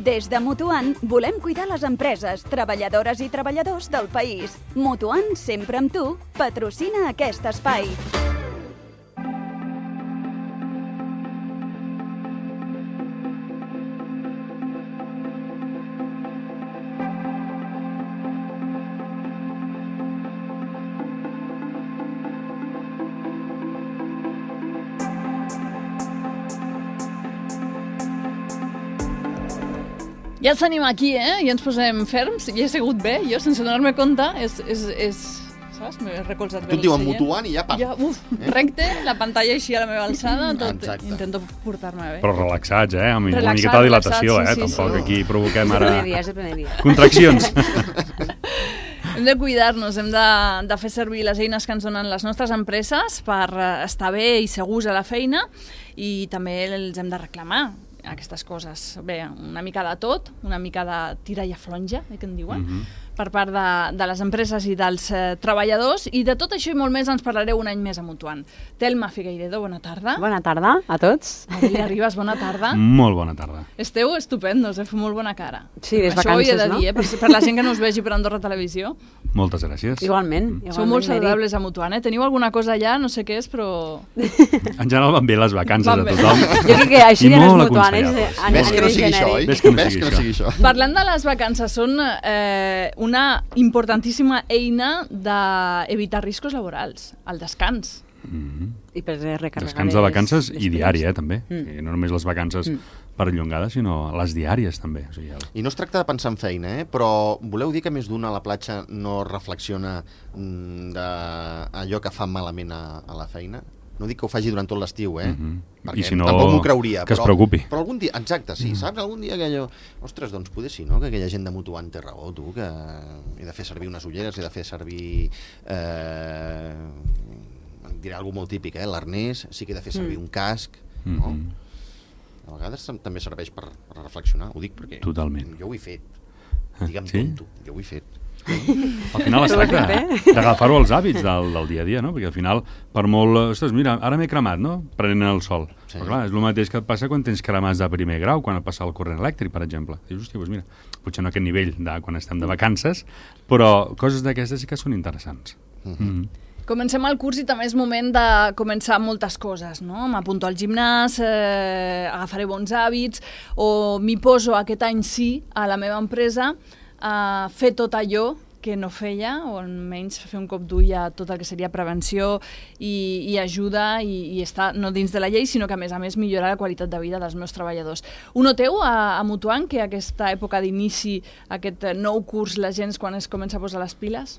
Des de Mutuant volem cuidar les empreses, treballadores i treballadors del país. Mutuant, sempre amb tu, patrocina aquest espai. Ja ens tenim aquí, i ens posem ferms. I he segut bé, jo, sense donar-me compte. Saps? M'he recolzat bé. Tu et diuen Mutuant i ja pam. Recte, la pantalla així a la meva alçada, tot. Intento portar-me bé. Però relaxats, amb una miqueta de dilatació, tampoc aquí provoquem ara... És el primer dia. Contraccions. Hem de cuidar-nos, hem de fer servir les eines que ens donen les nostres empreses per estar bé i segurs a la feina, i també els hem de reclamar aquestes coses. Bé, una mica de tot, una mica de tira i aflonja, que en diuen, per part de les empreses i dels treballadors, i de tot això i molt més ens parlareu un any més a Mutuant. Telma Figueiredo, bona tarda. Bona tarda a tots. Maria Ribas, bona tarda. Molt bona tarda. Esteu estupendos, feu molt bona cara. Sí, les això vacances, ho he de dir, per la gent que no us vegi per Andorra Televisió. Moltes gràcies. Igualment. Sou molt saludables a Mutuant, Teniu alguna cosa allà, no sé què és, però... En general van bé les vacances de tothom. Jo crec que així de les mutuanes... Ves que no sigui això, oi? Ves que no sigui això. Parlant de les vacances, són una importantíssima eina d'evitar riscos laborals, el descans. I per recarregar descans de vacances i diari, també. No només les vacances perllongades, sinó les diàries, també. I no es tracta de pensar en feina, però voleu dir que més d'una a la platja no reflexiona d'allò que fa malament a la feina? No dic que ho faci durant tot l'estiu, perquè si no, tampoc m'ho creuria. Que es preocupi. Però algun dia, exacte, sí, saps? Algun dia que allò... Ostres, doncs poder sí, no? Que aquella gent de Mutuant té raó, tu, que he de fer servir unes ulleres, he de fer servir... diré alguna molt típic, l'arnès, sí que he de fer servir un casc, no? A vegades també serveix per reflexionar, ho dic perquè jo ho he fet. Digue'm tonto, jo ho he fet. Al final es tracta d'agafar-ho als hàbits del dia a dia, no? Perquè al final, per molt... Ostres, mira, ara m'he cremat, no? Prenent el sol. Però clar, és el mateix que et passa quan tens cremats de primer grau, quan et passa el corrent elèctric, per exemple. Dius, hòstia, doncs mira, potser no a aquest nivell de quan estem de vacances, però coses d'aquestes sí que són interessants. Comencem el curs i també és moment de començar moltes coses, no? M'apunto al gimnàs, agafaré bons hàbits, o m'hi poso aquest any sí a la meva empresa a fer tot allò que no feia, o almenys fer un cop d'ull a tot el que seria prevenció i ajuda i estar no dins de la llei, sinó que a més millorar la qualitat de vida dels meus treballadors. Ho noteu a Mutuant que aquesta època d'inici, aquest nou curs, la gent quan es comença a posar les piles?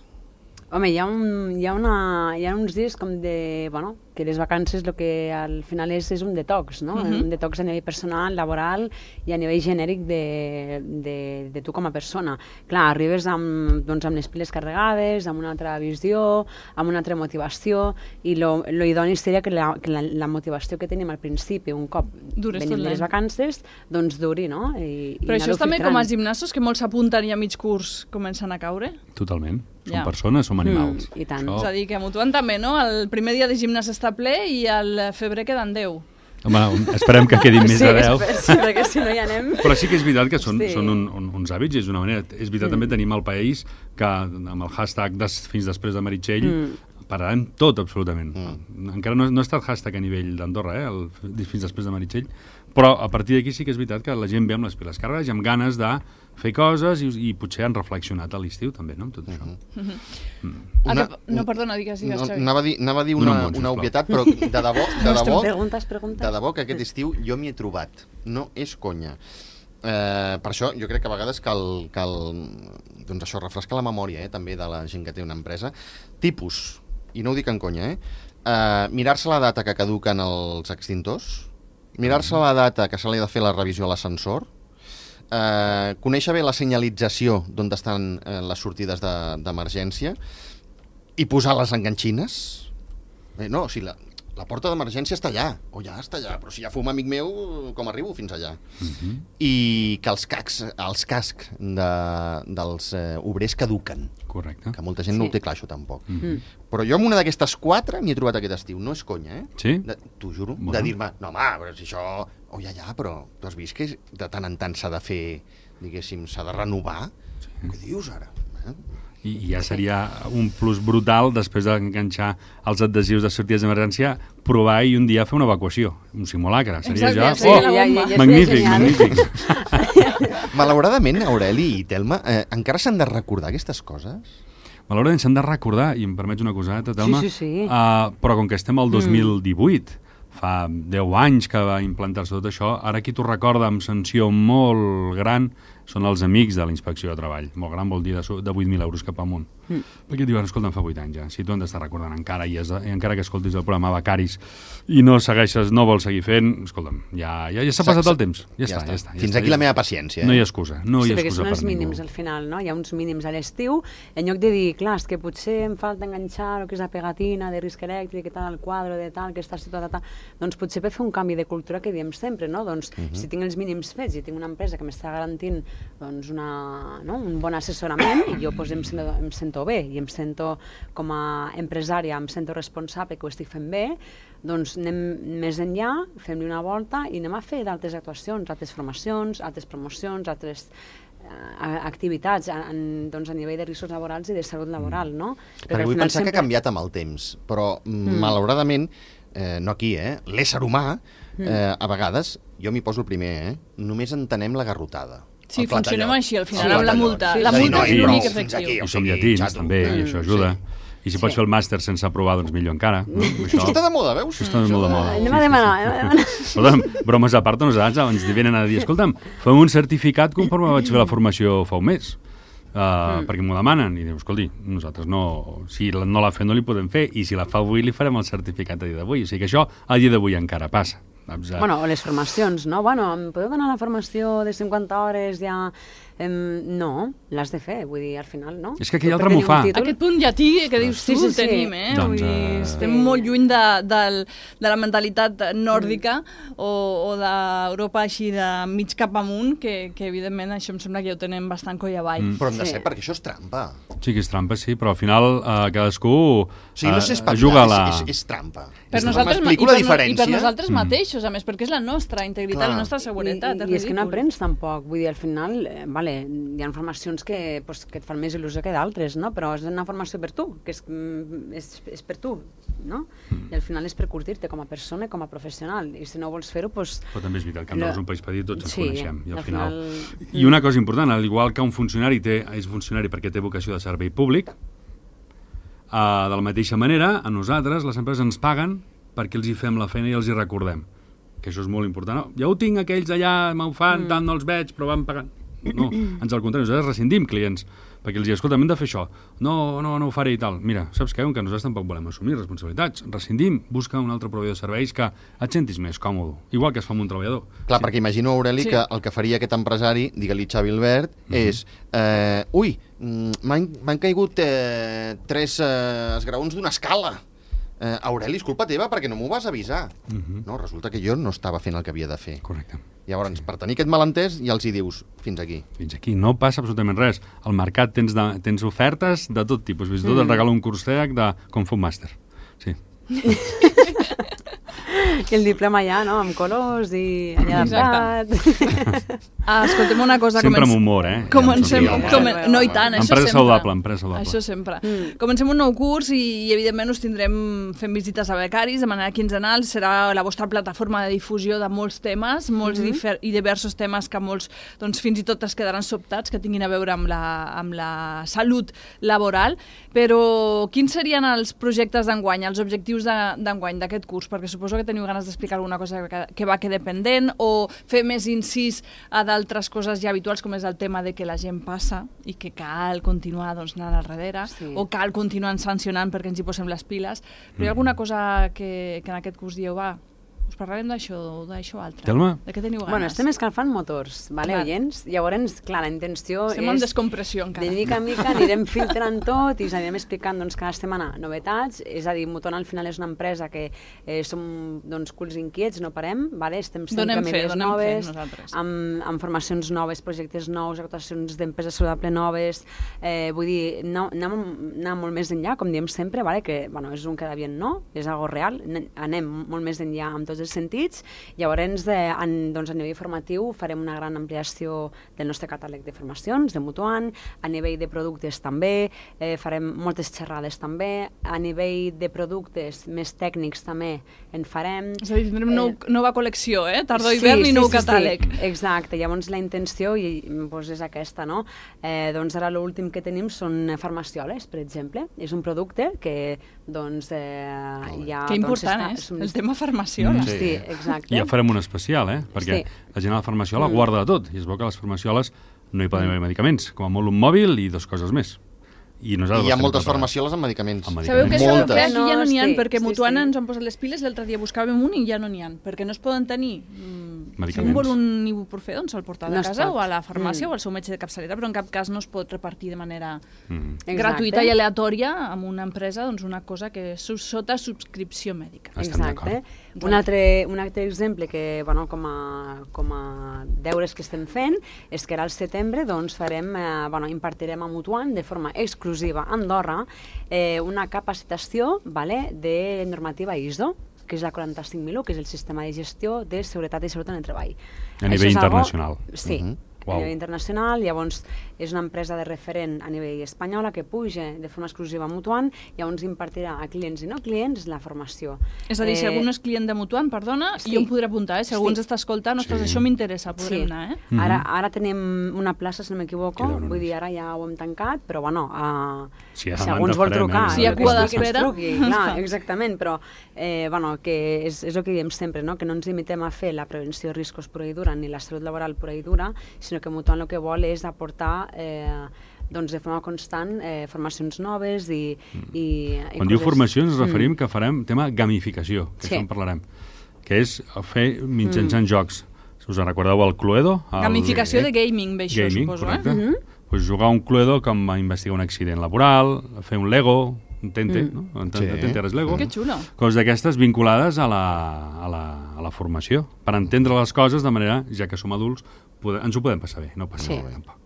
Home, hi ha uns dies com de... Bueno, que les vacances el que al final és un detox, no? Un detox a nivell personal, laboral i a nivell genèric de tu com a persona. Clar, arribes amb les piles carregades, amb una altra visió, amb una altra motivació, i lo idoni seria que la motivació que tenim al principi, un cop venim de les vacances, doncs duri, no? Però això és també com als gimnasos, que molts s'apunten i a mig curs comencen a caure? Totalment. Som persones, som animals. I tant. És a dir, que a Mutuant també, no? El primer dia de gimnàs està ple i al febrer queden 10. Home, esperem que quedin més de 10. Sí, perquè si no hi anem... Però sí que és veritat que són uns hàbits, és una manera... És veritat, també tenim al país que amb el hashtag fins després de Meritxell pararem tot, absolutament. Encara no ha estat hashtag a nivell d'Andorra, fins després de Meritxell, però a partir d'aquí sí que és veritat que la gent ve amb les piles carregades i amb ganes de fer coses i potser han reflexionat a l'estiu també, no?, amb tot això. No, perdona, digues, Xavi. Anava a dir una obvietat, però de debò que aquest estiu jo m'hi he trobat. No és conya. Per això jo crec que a vegades cal doncs això, refrescar la memòria també de la gent que té una empresa. Tipus, i no ho dic en conya, mirar-se la data que caduquen els extintors, mirar-se la data que se li ha de fer la revisió a l'ascensor, conèixer bé la senyalització d'on estan les sortides d'emergència i posar les enganxines. No, o sigui, la porta d'emergència està allà, o ja està allà, però si ja fuma amic meu, com arribo fins allà? I que els cascs dels obrers caduquen. Correcte. Que molta gent no ho té clar, això tampoc. Però jo amb una d'aquestes 4 m'hi he trobat aquest estiu. No és conya, Sí? T'ho juro. De dir-me, no home, però si això... Ja, però tu has vist que de tant en tant s'ha de fer, diguéssim, s'ha de renovar? Què dius ara? I ja seria un plus brutal, després d'enganxar els adhesius de sortides d'emergència, provar i un dia fer una evacuació, un simulacre. Seria magnífic, magnífic. Malauradament, Aureli i Telma, encara s'han de recordar aquestes coses? Malauradament s'han de recordar, i em permets una coseta, Telma, Sí. Però com que estem al 2018, fa 10 anys que va implantar-se tot això, ara qui t'ho recorda amb sanció molt gran són els amics de la Inspecció de Treball. Molt gran vol dir de 8.000 euros cap amunt. Perquè diuen, escolta, em fa 8 anys ja, si tu han d'estar recordant encara, i encara que escoltis el programa Becaris i no segueixes, no vols seguir fent, escolta'm, ja s'ha passat el temps. Ja està. Fins aquí la meva paciència. No hi ha excusa. No hi ha perquè excusa són per els mínims al final, no? Hi ha uns mínims a l'estiu, en lloc de dir, clar, és que potser em falta enganxar el que és la pegatina de risc elèctric i tal, el quadre de tal, que està situat, doncs potser per fer un canvi de cultura que diem sempre, no? Doncs si tinc els mínims fets i tinc una empresa que m'està garantint doncs un bon assessorament, i jo em sento bé i em sento com a empresària, em sento responsable que ho estic fent bé, doncs anem més enllà, fem-li una volta i anem a fer d'altres actuacions, altres formacions, altres promocions, altres activitats a nivell de riscos laborals i de salut laboral, no? Perquè vull pensar que ha canviat amb el temps, però malauradament, no aquí, l'ésser humà, a vegades, jo m'hi poso el primer, només entenem la garrotada. Sí, funcionem així, al final, amb la multa. La multa és l'únic efectiu. I som llatins, també, i això ajuda. I si pots fer el màster sense aprovar, doncs millor encara. Això està de moda, veus? Això està molt de moda. Anem a demanar. Escolta'm, bromes a part, ens venen a dir, escolta'm, fem un certificat conforme vaig fer la formació fa un mes. Perquè m'ho demanen. I diu, escolti, nosaltres no... Si no l'ha fet, no li podem fer. I si la fa avui, li farem el certificat a dia d'avui. O sigui que això, a dia d'avui encara passa. Bueno, o les formacions, no? Bueno, em podeu donar la formació de 50 hores ja... No, l'has de fer, vull dir, al final, no? És que aquell altre m'ho fa. Aquest punt llatí que dius tu el tenim, Vull dir, estem molt lluny de la mentalitat nòrdica o d'Europa així de mig cap amunt, que evidentment això em sembla que ja ho tenen bastant coll avall. Però hem de ser, perquè això és trampa. Sí que és trampa, sí, però al final cadascú no sé juga la... És trampa. I per nosaltres mateixos, a més, perquè és la nostra integritat, la nostra seguretat. I és que no aprens tampoc, vull dir, al final, hi ha formacions que et fan més il·lusió que d'altres, no? Però és una formació per tu, que és per tu, no? I al final és per curtir-te com a persona, com a professional, i si no vols fer-ho, doncs... Però també és veritat que Andorra és un país petit, tots ens coneixem, i al final... I una cosa important, al igual que un funcionari és funcionari perquè té vocació de servei públic, de la mateixa manera, a nosaltres, les empreses ens paguen perquè els hi fem la feina i els hi recordem, que això és molt important. No, ja ho tinc, aquells allà m'ho fan, tant no els veig, però van pagant. No, ens al contrari, nosaltres rescindim clients, perquè els diuen, escolta, hem de fer això. No ho faré i tal. Mira, saps què? Que nosaltres tampoc volem assumir responsabilitats. Rescindim, busca un altre proveïdor de serveis que et sentis més còmode, igual que es fa amb un treballador. Clar, perquè imagino, Aureli, que el que faria aquest empresari, digue-li Xavi Albert, és m'han caigut 3 esgraons d'una escala. Aureli, és culpa teva perquè no m'ho vas avisar. No, resulta que jo no estava fent el que havia de fer. Correcte. Llavors, per tenir aquest malentès, ja els hi dius, fins aquí. Fins aquí, no passa absolutament res. Al mercat tens ofertes de tot tipus. Fins i tot et regalo un curs TEAC de Kung Fu Master. Sí. I el diploma allà, no?, amb colors i allà adaptat. Escoltem una cosa... Sempre amb humor, Comencem... No, i tant, això sempre. Empresa saludable. Això sempre. Comencem un nou curs i evidentment us tindrem fent visites a becaris de manera quinzenal. Serà la vostra plataforma de difusió de molts temes, molts i diversos temes que molts, doncs, fins i tot es quedaran sobtats, que tinguin a veure amb la salut laboral. Però quins serien els projectes d'enguany, els objectius d'enguany d'aquest curs? Perquè suposo que teniu ganes d'explicar alguna cosa que va quedar pendent o fer més incís a d'altres coses ja habituals, com és el tema de que la gent passa i que cal continuar anant al darrere, o cal continuar sancionant perquè ens hi posem les piles. Però hi ha alguna cosa que en aquest curs dieu, us parlarem d'això altre. Telma? De què teniu ganes? Bueno, estem escalfant motors, vale, oients? Llavors, clar, la intenció estem en descompressió encara. De mica en mica anirem filtrant tot i us anirem explicant doncs, cada setmana novetats. És a dir, Moton al final és una empresa que som doncs, culs inquiets, no parem, vale? Estem sempre amb idees noves, amb formacions noves, projectes nous, actuacions d'empresa saludable noves. Vull dir, anar molt més enllà, com diem sempre, vale? Que bueno, és un queda bien no, és algo real, anem molt més enllà amb tots els sentits. Llavors, doncs, a nivell formatiu farem una gran ampliació del nostre catàleg de formacions, de Mutuant, a nivell de productes també, farem moltes xerrades també, a nivell de productes més tècnics també en farem. És a dir, tindrem nova col·lecció, tardor-hivern i nou catàleg. Sí. Exacte, llavors la intenció doncs, és aquesta, no? Doncs ara l'últim que tenim són farmacioles, per exemple. És un producte que doncs ja... Que important, el tema farmaciola. Sí, exacte. I ja farem un especial, perquè la gent a la farmaciola guarda de tot, i es veu que a les farmacioles no hi poden haver medicaments, com a molt un mòbil i 2 coses més. I hi ha moltes farmacioles amb medicaments. Sabeu que aquí ja no n'hi ha, perquè Mutuant ens han posat les piles, l'altre dia buscàvem un i ja no n'hi ha, perquè no es poden tenir. Si un vol un ibuprofè, doncs se'l porta a casa o a la farmàcia o al seu metge de capçalera, però en cap cas no es pot repartir de manera gratuïta i aleatòria amb una empresa, doncs una cosa que és sota subscripció mèdica. Exacte. Un altre exemple que, bueno, com a deures que estem fent és que ara al setembre doncs impartirem a Mutuant de forma exclusiva a Andorra una capacitació de normativa ISO, que és la 45001, que és el sistema de gestió de seguretat i salut en el treball. A nivell internacional. Sí. A nivell internacional, llavors és una empresa de referent a nivell espanyola que puja de forma exclusiva a Mutuant, llavors impartirà a clients i no clients la formació. És a dir, si algú no és client de Mutuant, perdona, jo em podré apuntar, si algú ens està escoltant, ostres, això m'interessa, podrem anar, Ara tenim una plaça, si no m'equivoco, vull dir, ara ja ho hem tancat, però bueno, si algú ens vol trucar, si hi ha cua d'espera, exactament, però que és el que diem sempre, que no ens limitem a fer la prevenció de riscos pura i dura, ni la salut laboral pura i dura, sinó que Mutuant el que vol és aportar de forma constant formacions noves i quan diu formacions ens referim que farem tema gamificació, que això en parlarem, que és fer mitjançant jocs. Us en recordeu el Cluedo? Gamificació de gaming, ve això, suposo, Pues jugar un Cluedo com a investigar un accident laboral, fer un Lego, un Tente, no? Tente eres Lego. Que xulo. Coses d'aquestes vinculades a la formació, per entendre les coses de manera, ja que som adults, ens ho podem passar bé, no passa bé tampoc.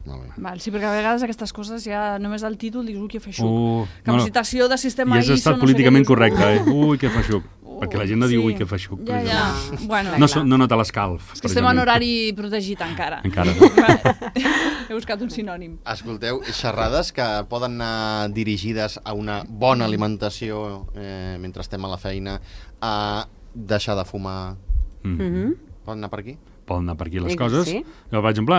Sí, perquè a vegades aquestes coses ja només al títol dius, ui, que feixuc. Capacitació de sistema ISO... I has estat políticament correcte, ui, que feixuc. Perquè la gent no diu, ui, que feixuc. No nota l'escalf. És que estem en horari protegit encara. He buscat un sinònim. Escolteu, xerrades que poden anar dirigides a una bona alimentació mentre estem a la feina, a deixar de fumar... Poden anar per aquí? Poden anar per aquí les coses. Jo, per exemple,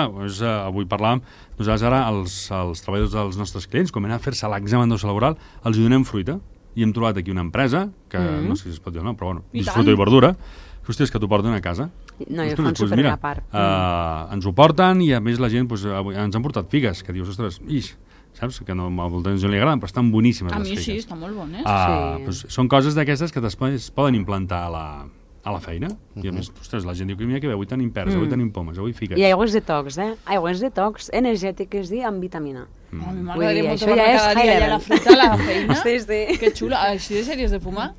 avui parlàvem, nosaltres ara els treballadors dels nostres clients, com anar a fer-se l'examen d'oci laboral, els donem fruita. I hem trobat aquí una empresa, que no sé si es pot dir o no, però bueno, és fruita i verdura, hòsties, que t'ho porten a casa. No, i ho fan superbé a part. Ens ho porten i a més la gent, ens han portat figues, que dius, ostres, saps? Que a molta gent li agraden, però estan boníssimes les figues. A mi sí, estan molt bones. Són coses d'aquestes que després poden implantar a la feina, i a més, ostres, la gent diu que mira que bé, avui tenim peres, avui tenim pomes, avui fiques. I aigües detox, aigües detox energètiques i amb vitamina. M'agradaria molt tomar cada dia allà la fruita a la feina. Que xula, així de sèries de fumar.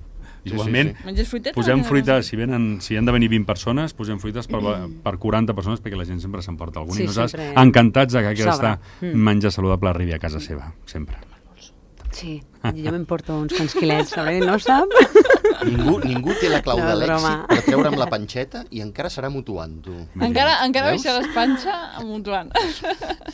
Igualment, posem fruita, si han de venir 20 persones, posem fruites per 40 persones perquè la gent sempre s'emporta alguna. I nosaltres encantats que aquesta menjar saludable arribi a casa seva, sempre. Sí, jo m'emporto uns quants quilets, no ho sap? Ningú té la clau de l'èxit per treure'm la panxeta i encara serà Mutuant, tu. Encara baixaràs panxa a Mutuant.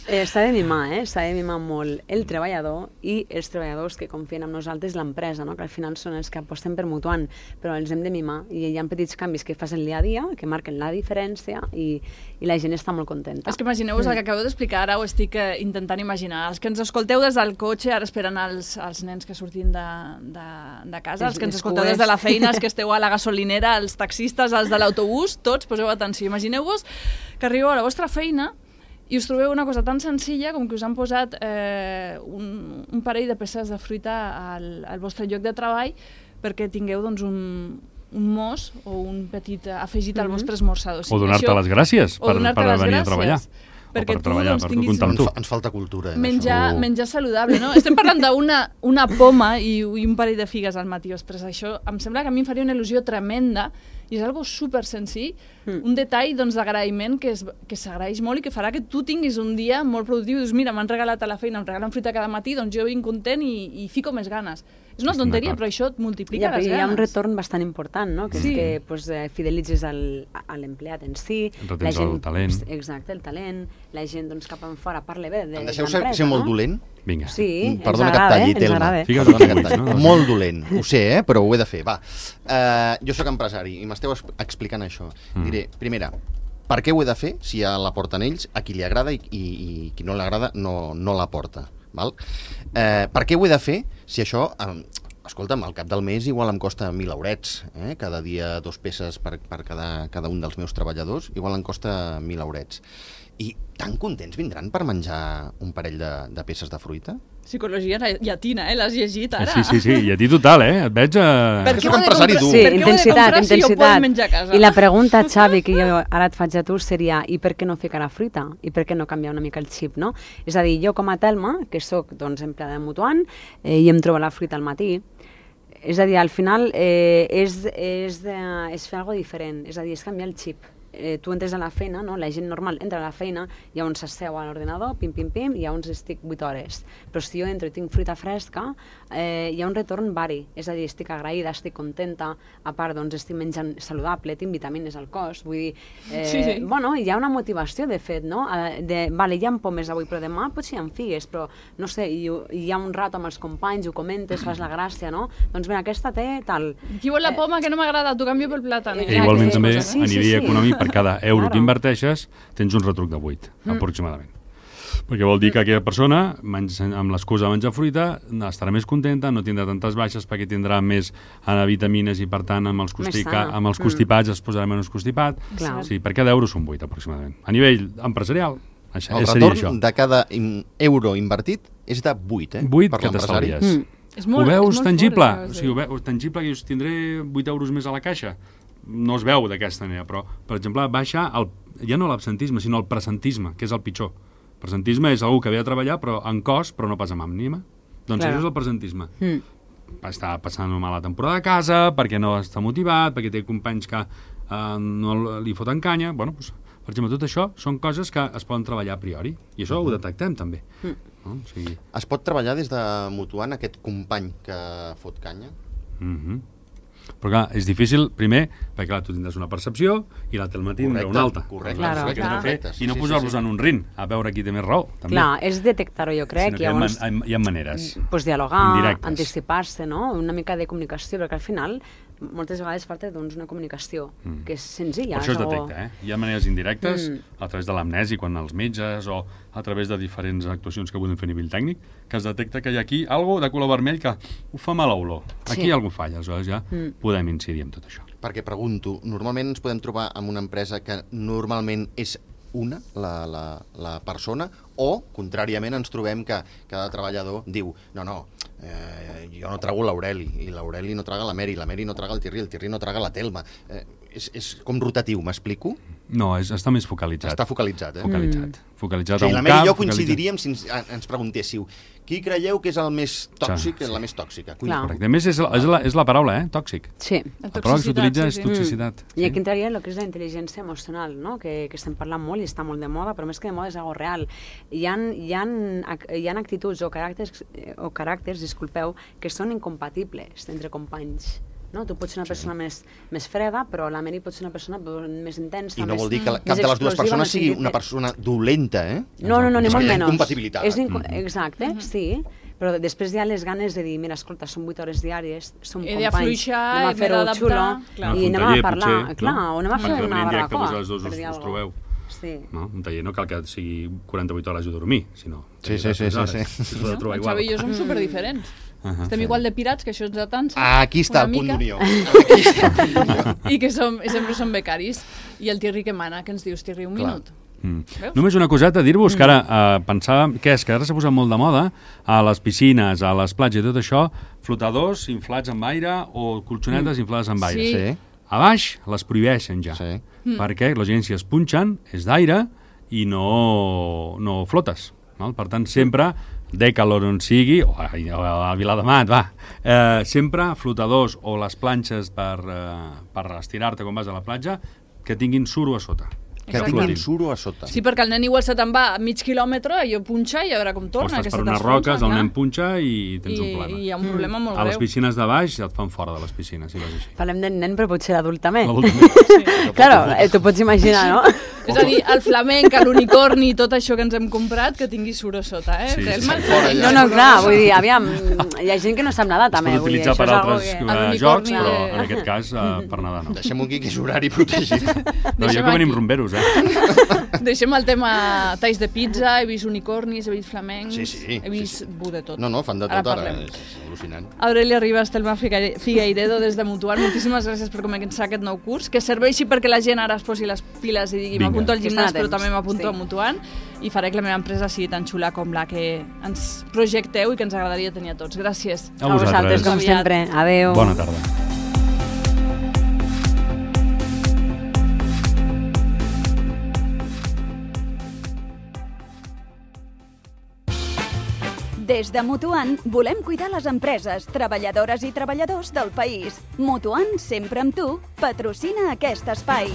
S'ha de mimar molt el treballador i els treballadors que confien en nosaltres, l'empresa, que al final són els que aposten per Mutuant, però els hem de mimar i hi ha petits canvis que fas el dia a dia, que marquen la diferència i la gent està molt contenta. És que imagineu-vos el que acabeu d'explicar, ara ho estic intentant imaginar. Els que ens escolteu des del cotxe, ara esperen els nens que surtin de casa, els que ens escolteu des de la feina, els que esteu a la gasolinera, els taxistes, els de l'autobús, tots, poseu atenció. Imagineu-vos que arribeu a la vostra feina i us trobeu una cosa tan senzilla com que us han posat un parell de peces de fruita al vostre lloc de treball perquè tingueu doncs, mos o un petit afegit al vostre esmorzar. O donar-te les gràcies per venir a treballar. Perquè per treballar, per comptar amb tu. Ens falta cultura. Menjar saludable, no? Estem parlant d'una poma i un parell de figues al matí. Ostres, això em sembla que a mi em faria una il·lusió tremenda i és algo super senzill, un detall d'agraïment que s'agraeix molt i que farà que tu tinguis un dia molt productiu i dius, mira, m'han regalat a la feina, em regalen fruita cada matí, doncs jo vinc content i fico més ganes. És una tonteria, però això et multiplica les ganes. Hi ha un retorn bastant important, no? Que és que fidelitzes l'empleat en si. Retens el talent. Exacte, el talent. La gent cap en fora parla bé de l'empresa. Em deixeu ser molt dolent? Vinga. Sí, perdona que et talli, Telma. Molt dolent. Ho sé, però ho he de fer. Va. Jo sóc empresari i m'esteu explicant això. Diré, primera, per què ho he de fer si ja la porten ells, a qui li agrada i qui no li agrada no la porta? Val? Per què ho he de fer si això, escolta'm, al cap del mes igual em costa 1.000 eurets, cada dia 2 peces per cada un dels meus treballadors, igual em costa 1.000 eurets. I tan contents vindran per menjar un parell de peces de fruita? Psicologia llatina, l'has llegit ara? Sí, i a ti total, et veig a... Perquè soc empresari dur. Sí, intensitat. I la pregunta, Xavi, que jo ara et faig a tu seria, i per què no ficar la fruita? I per què no canviar una mica el xip, no? És a dir, jo com a Telma, que soc empleada de Mutuant, i em trobo la fruita al matí, és a dir, al final és fer alguna cosa diferent, és a dir, és canviar el xip. Tu entres a la feina, no? La gent normal entra a la feina, hi ha on s'asseu a l'ordinador, pim, hi ha on estic 8 hores. Però si jo entro i tinc fruita fresca, hi ha un retorn vari, és a dir, estic agraïda, estic contenta, a part, doncs, estic menjant saludable, tinc vitamines al cos, vull dir, bueno, hi ha una motivació, de fet, no? Vale, hi ha pomes avui, però demà potser hi ha figues, però, no sé, hi ha un rato amb els companys, ho comentes, fas la gràcia, no? Doncs bé, aquesta té tal... Qui vol la poma que no m'agrada, t'ho canvio pel plàtan. Igualment també, a nivell econòmic, per cada euro que inverteixes, tens un retruc de 8, aproximadament. Perquè vol dir que aquella persona, amb l'excusa de menjar fruita, estarà més contenta, no tindrà tantes baixes perquè tindrà més vitamines i, per tant, amb els constipats es posarà menys constipat. Sí, per cada euro són 8, aproximadament. A nivell empresarial, el retorn de cada euro invertit és de 8, 8 que t'estalvies. Ho veus tangible? O sigui, ho veus tangible que jo tindré 8 euros més a la caixa? No es veu d'aquesta manera, però, per exemple, baixa ja no l'absentisme, sinó el presentisme, que és el pitjor. El presentisme és algú que ve a treballar però en cos, però no pas amb ànima. Doncs això és el presentisme. Està passant una mala temporada a casa, perquè no està motivat, perquè té companys que no li foten canya. Bueno, doncs, per exemple, tot això són coses que es poden treballar a priori, i això ho detectem també. No? O sigui... Es pot treballar des de Mutuant aquest company que fot canya? Però clar, és difícil, primer, perquè clar, tu tindràs una percepció i la Telma tindrà una altra. Correcte. I no posar-los en un rin, a veure qui té més raó. També. Clar, és detectar-ho, jo crec. Hi ha maneres. Pues dialogar, anticipar-se, no? Una mica de comunicació, perquè al final moltes vegades falta una comunicació que és senzilla. Per això es detecta, Hi ha maneres indirectes, a través de l'amnesi, quan els metges, o a través de diferents actuacions que podem fer a nivell tècnic, que es detecta que hi ha aquí alguna de color vermell que ho fa mala olor. Aquí hi ha alguna falla, aleshores ja podem incidir en tot això. Perquè pregunto, normalment ens podem trobar amb una empresa que normalment és la persona, o, contràriament, ens trobem que cada treballador diu jo no trago l'Aureli, i l'Aureli no traga la Meri no traga el Tirri no traga la Telma. És com rotatiu, m'explico? No, està més focalitzat. Està focalitzat, Focalitzat a un cap. La Meri i jo coincidiríem si ens preguntéssiu qui creieu que és el més tòxic, la més tòxica? Correcte. A més, és la paraula, tòxic. Sí. La paraula que s'utilitza és toxicitat. I aquí entraria el que és la intel·ligència emocional, no? Que estem parlant molt i està molt de moda, però més que de moda és algo real. Hi ha actituds o caràcters, disculpeu, que són incompatibles entre companys. No? Tu pots ser una persona més freda, però la Meri pot ser una persona més intensa. I no vol dir que cap de les dues persones sigui una persona dolenta, No, ni molt menys. És incompatibilitat. Exacte, sí. Però després hi ha les ganes de dir, mira, escolta, són 8 hores diàries, som companys, he d'afluixar, anem a fer-ho xulo, i anem a parlar, o anem a fer una barbacoa. Perquè els dos us trobeu. Un taller no cal que sigui 48 hores de dormir, sinó... Sí. Xavi i jo som superdiferents. Estem igual de pirats, que això ens atansa. Aquí està el punt d'unió. I que sempre som becaris. I el Tirri que mana, que ens dius, Tirri, un minut. Només una coseta, dir-vos que ara pensàvem que ara s'ha posat molt de moda a les piscines, a les platges i tot això, flotadors inflats amb aire o colxonetes inflades amb aire. Sí. A baix les prohibeixen ja, perquè la gent si es punxen és d'aire i no flotes. Val? Per tant, sempre, Decalor on sigui, o a Viladamat, sempre flotadors o les planxes per estirar-te quan vas a la platja que tinguin suro a sota. Que tinguin suro a sota. Sí, perquè el nen igual se te'n va a mig quilòmetre, allò punxa i a veure com torna. O estàs per unes roques, el nen punxa i tens un problema. I hi ha un problema molt greu. A les piscines de baix et fan fora de les piscines, si vas així. Parlem del nen, però potser l'adult també. Sí. Claro, t'ho pots imaginar, no? És a dir, el flamenc, l'unicorni i tot això que ens hem comprat, que tingui suro a sota, eh? Sí, No, clar, vull dir, aviam, hi ha gent que no sap nedar també. Es pot utilitzar per altres jocs, però en aquest cas per nedar no. Deixem aquí que és horari protegit. No, jo que venim rumberos, Deixem el tema talls de pizza, he vist unicornis, he vist flamencs, sí, he vist de tot. No, fan de tot ara, és al·lucinant. Aurelia Ribas, Telma Figueiredo des de Mutual, moltíssimes gràcies per començar aquest nou curs, que serveixi perquè la gent ara es posi les piles i digui m'apunto al gimnàs però també m'apunto a Mutual i faré que la meva empresa sigui tan xula com la que ens projecteu i que ens agradaria tenir a tots. Gràcies. A vosaltres, com sempre. Adéu. Bona tarda. Des de Mutuant volem cuidar les empreses, treballadores i treballadors del país. Mutuant, sempre amb tu, patrocina aquest espai.